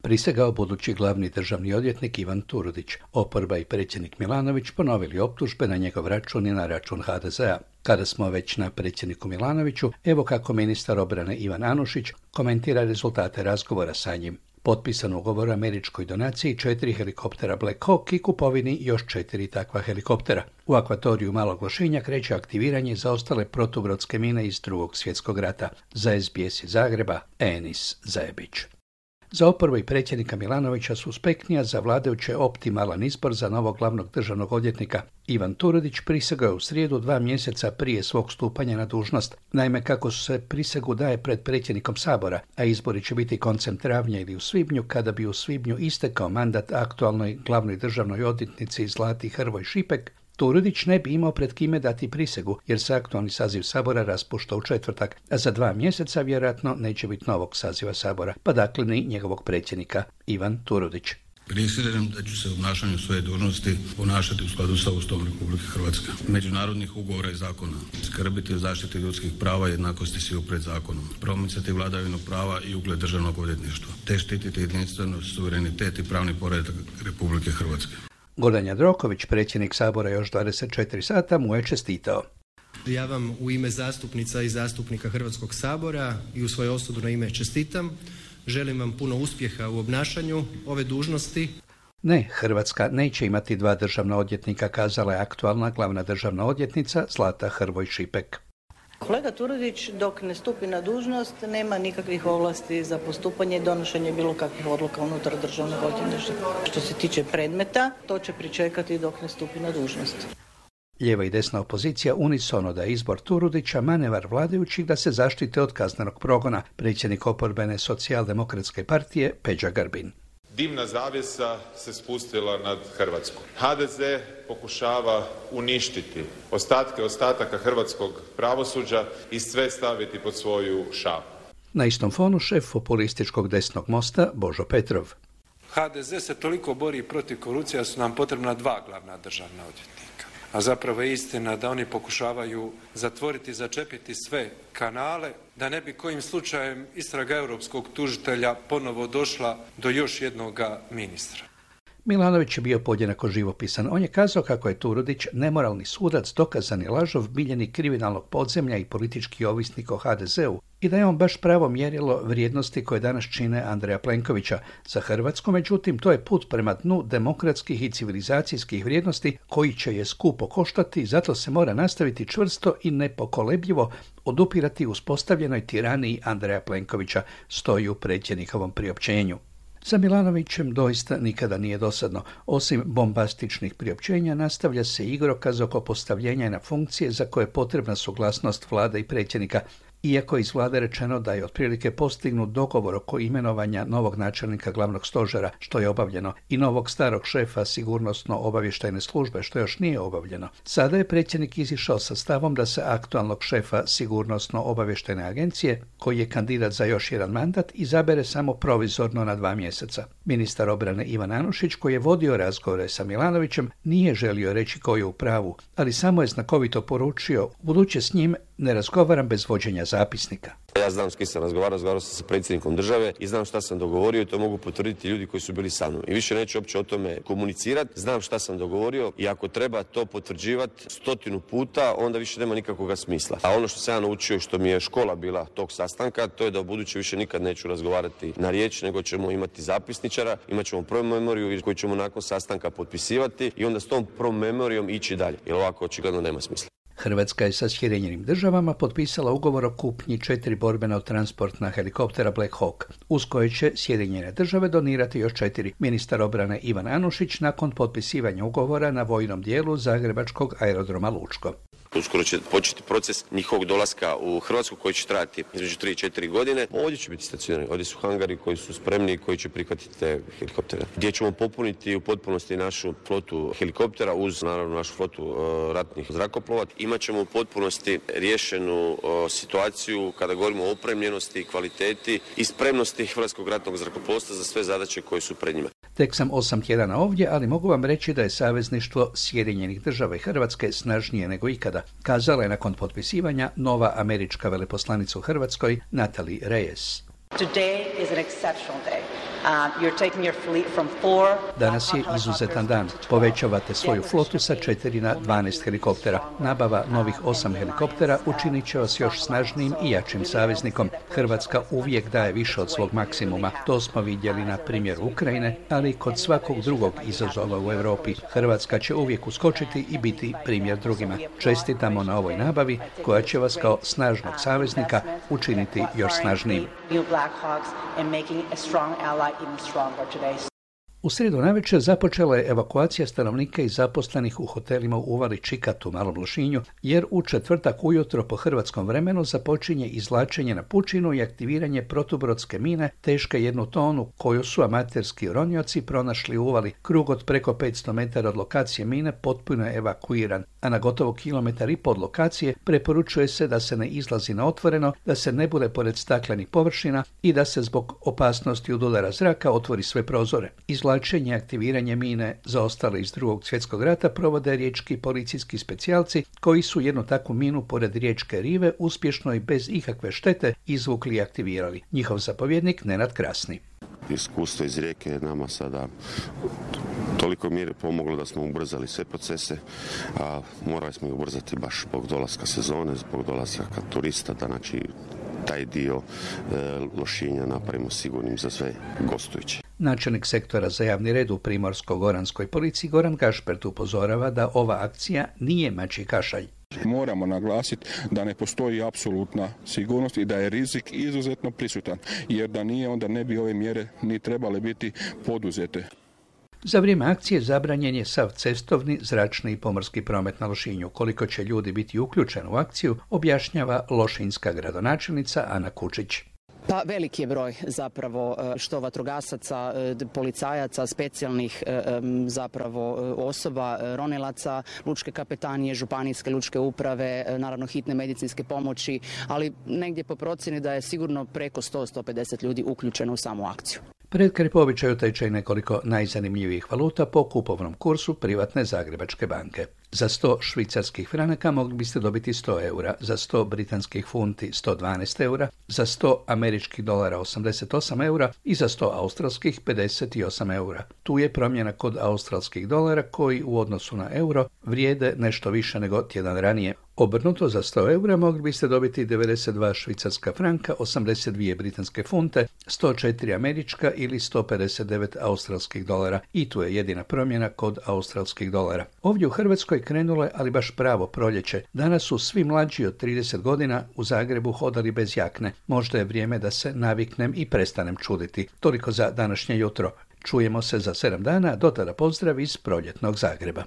prisegao budući glavni državni odvjetnik Ivan Turudić. Oporba i predsjednik Milanović ponovili optužbe na njegov račun i na račun HDZ-a. Kada smo već na predsjedniku Milanoviću, evo kako ministar obrane Ivan Anušić komentira rezultate razgovora sa njim. Potpisan ugovor o američkoj donaciji 4 helikoptera Black Hawk i kupovini još 4 takva helikoptera. U akvatoriju Malog Lošinja kreće aktiviranje za ostale protubrodske mine iz Drugog svjetskog rata. Za SBS iz Zagreba, Enis Zajebić. Za oporbu i predsjednika Milanovića suspektnija, za vladajuće optimalan izbor za novog glavnog državnog odvjetnika. Ivan Turudić prisegao je u srijedu 2 mjeseca prije svog stupanja na dužnost. Naime, kako se prisegu daje pred predsjednikom Sabora, a izbori će biti koncem travnja ili u svibnju, kada bi u svibnju istekao mandat aktualnoj glavnoj državnoj odvjetnici Zlati Hrvoj Šipek, Turudić ne bi imao pred kime dati prisegu, jer se aktualni saziv Sabora raspušta u četvrtak, a za 2 mjeseca vjerojatno neće biti novog saziva Sabora, pa dakle ni njegovog predsjednika. Ivan Turudić. Prisežem da ću se u obnašanju svoje dužnosti ponašati u skladu sa Ustavom Republike Hrvatske, međunarodnih ugovora i zakona, skrbiti o zaštiti ljudskih prava i jednakosti svih pred zakonom, promicati vladavinu prava i ugled državnog odvjetništva, te štititi jedinstvenost, suverenitet i pravni poredak Republike Hrvatske. Gordan Jandroković, predsjednik Sabora još 24 sata, mu je čestitao. Ja vam u ime zastupnica i zastupnika Hrvatskog sabora i u svoje osobno ime čestitam. Želim vam puno uspjeha u obnašanju ove dužnosti. Ne, Hrvatska neće imati 2 državna odvjetnika, kazala je aktualna glavna državna odvjetnica Zlata Hrvoj Šipek. Kolega Turudić dok ne stupi na dužnost nema nikakvih ovlasti za postupanje i donošenje bilo kakvih odluka unutar državnog odvjetništva. Što se tiče predmeta, to će pričekati dok ne stupi na dužnost. Lijeva i desna opozicija unisono da je izbor Turudića manevar vladajućih da se zaštite od kaznenog progona, predsjednik oporbene socijaldemokratske partije Peđa Grbin. Dimna zavjesa se spustila nad Hrvatskom. HDZ pokušava uništiti ostataka hrvatskog pravosuđa i sve staviti pod svoju šapu. Na istom fonu šef populističkog desnog mosta Božo Petrov. HDZ se toliko bori protiv korupcije da su nam potrebna 2 glavna državna odvjetnika. A zapravo je istina da oni pokušavaju zatvoriti, začepiti sve kanale, da ne bi kojim slučajem istraga europskog tužitelja ponovo došla do još jednoga ministra. Milanović je bio podjednako živopisan. On je kazao kako je Turudić nemoralni sudac, dokazani lažov, miljenik kriminalnog podzemlja i politički ovisnik o HDZ-u i da je on baš pravo mjerilo vrijednosti koje danas čine Andreja Plenkovića. Za Hrvatsku, međutim, to je put prema dnu demokratskih i civilizacijskih vrijednosti koji će je skupo koštati i zato se mora nastaviti čvrsto i nepokolebljivo odupirati uspostavljenoj tiraniji Andreja Plenkovića, stoji u predsjednikovom priopćenju. Za Milanovićem doista nikada nije dosadno. Osim bombastičnih priopćenja, nastavlja se igrokaz oko postavljenja na funkcije za koje je potrebna suglasnost vlade i predsjednika, iako je iz vlade rečeno da je otprilike postignut dogovor oko imenovanja novog načelnika glavnog stožera, što je obavljeno, i novog starog šefa sigurnosno-obavještajne službe, što još nije obavljeno. Sada je predsjednik izišao sa stavom da se aktualnog šefa sigurnosno-obavještajne agencije, koji je kandidat za još jedan mandat, izabere samo provizorno na 2 mjeseca. Ministar obrane Ivan Anušić, koji je vodio razgovore sa Milanovićem, nije želio reći ko je u pravu, ali samo je znakovito poručio: buduće s njim ne razgovaram bez vođenja zapisnika. Ja znam s kim sam razgovarao sam sa predsjednikom države i znam šta sam dogovorio i to mogu potvrditi ljudi koji su bili sa mnom. I više neću uopće o tome komunicirati, znam šta sam dogovorio i ako treba to potvrđivati 100 puta, onda više nema nikakvog smisla. A ono što sam ja naučio, što mi je škola bila tog sastanka, to je da u buduće više nikad neću razgovarati na riječ, nego ćemo imati zapisničara, imat ćemo promemoriju koju ćemo nakon sastanka potpisivati i onda s tom promemorijom ići dalje, jer ovako očigledno nema smisla. Hrvatska je sa Sjedinjenim državama potpisala ugovor o kupnji 4 borbena transportna helikoptera Black Hawk, uz koje će Sjedinjene države donirati još 4. Ministar obrane Ivan Anušić nakon potpisivanja ugovora na vojnom dijelu zagrebačkog aerodroma Lučko. Uskoro će početi proces njihovog dolaska u Hrvatsku koji će trajati između 3 i 4 godine. Ovdje će biti stacionirani. Ovdje su hangari koji su spremni i koji će prihvatiti te helikoptere. Gdje ćemo popuniti u potpunosti našu flotu helikoptera uz naravno našu flotu ratnih zrakoplova. Imaćemo u potpunosti riješenu situaciju kada govorimo o opremljenosti, kvaliteti i spremnosti Hrvatskog ratnog zrakoplovstva za sve zadaće koje su pred njima. Tek sam 8 tjedana ovdje, ali mogu vam reći da je savezništvo Sjedinjenih država i Hrvatske snažnije nego ikada, kazala je nakon potpisivanja nova američka veleposlanica u Hrvatskoj Natalie Reyes. Today is an exceptional day. Danas je izuzetan dan. Povećavate svoju flotu sa 4 na 12 helikoptera. Nabava novih 8 helikoptera učinit će vas još snažnijim i jačim saveznikom. Hrvatska uvijek daje više od svog maksimuma. To smo vidjeli na primjeru Ukrajine, ali i kod svakog drugog izazova u Europi. Hrvatska će uvijek uskočiti i biti primjer drugima. Čestitamo na ovoj nabavi koja će vas kao snažnog saveznika učiniti još snažnijim. U srijedu navečer započela je evakuacija stanovnika i zaposlenih u hotelima u uvali Čikat u Malom Lošinju, jer u četvrtak ujutro po hrvatskom vremenu započinje izvlačenje na pučinu i aktiviranje protubrodske mine teške 1 tonu, koju su amaterski ronioci pronašli u uvali. Krug od preko 500 metara od lokacije mine potpuno je evakuiran, a na gotovo 1,5 km od lokacije preporučuje se da se ne izlazi na otvoreno, da se ne bude pored staklenih površina i da se zbog opasnosti od udara zraka otvori sve prozore. Izvlačenje i aktiviranje mine zaostale iz II. Svjetskog rata provode riječki policijski specijalci koji su jednu takvu minu pored riječke rive uspješno i bez ikakve štete izvukli i aktivirali. Njihov zapovjednik Nenad Krasni. Iskustvo iz Rijeke je nama sada toliko mjere pomoglo da smo ubrzali sve procese, a morali smo ih ubrzati baš zbog dolaska sezone, zbog dolaska turista, da znači taj dio Lošinja napravimo sigurnim za sve gostujuće. Načelnik sektora za javni red u Primorsko-goranskoj policiji Goran Gašpert upozorava da ova akcija nije mačji kašalj. Moramo naglasiti da ne postoji apsolutna sigurnost i da je rizik izuzetno prisutan, jer da nije, onda ne bi ove mjere ni trebale biti poduzete. Za vrijeme akcije zabranjen je sav cestovni, zračni i pomorski promet na Lošinju. Koliko će ljudi biti uključeni u akciju, objašnjava lošinjska gradonačelnica Ana Kučić. Pa veliki je broj zapravo što vatrogasaca, policajaca, specijalnih zapravo osoba, ronilaca, lučke kapetanije, županijske lučke uprave, naravno hitne medicinske pomoći, ali negdje po procjeni da je sigurno preko 100-150 ljudi uključeno u samu akciju. Pred kraj po običaju teče nekoliko najzanimljivijih valuta po kupovnom kursu privatne Zagrebačke banke. Za 100 švicarskih franaka mogli biste dobiti 100 eura, za 100 britanskih funti 112 eura, za 100 američkih dolara 88 eura i za 100 australskih 58 eura. Tu je promjena kod australskih dolara koji u odnosu na euro vrijede nešto više nego tjedan ranije. Obrnuto, za 100 eura mogli biste dobiti 92 švicarska franka, 82 britanske funte, 104 američka ili 159 australskih dolara. I tu je jedina promjena kod australskih dolara. Ovdje u Hrvatskoj krenulo je, ali baš pravo proljeće. Danas su svi mlađi od 30 godina u Zagrebu hodali bez jakne. Možda je vrijeme da se naviknem i prestanem čuditi. Toliko za današnje jutro. Čujemo se za 7 dana, do tada pozdrav iz proljetnog Zagreba.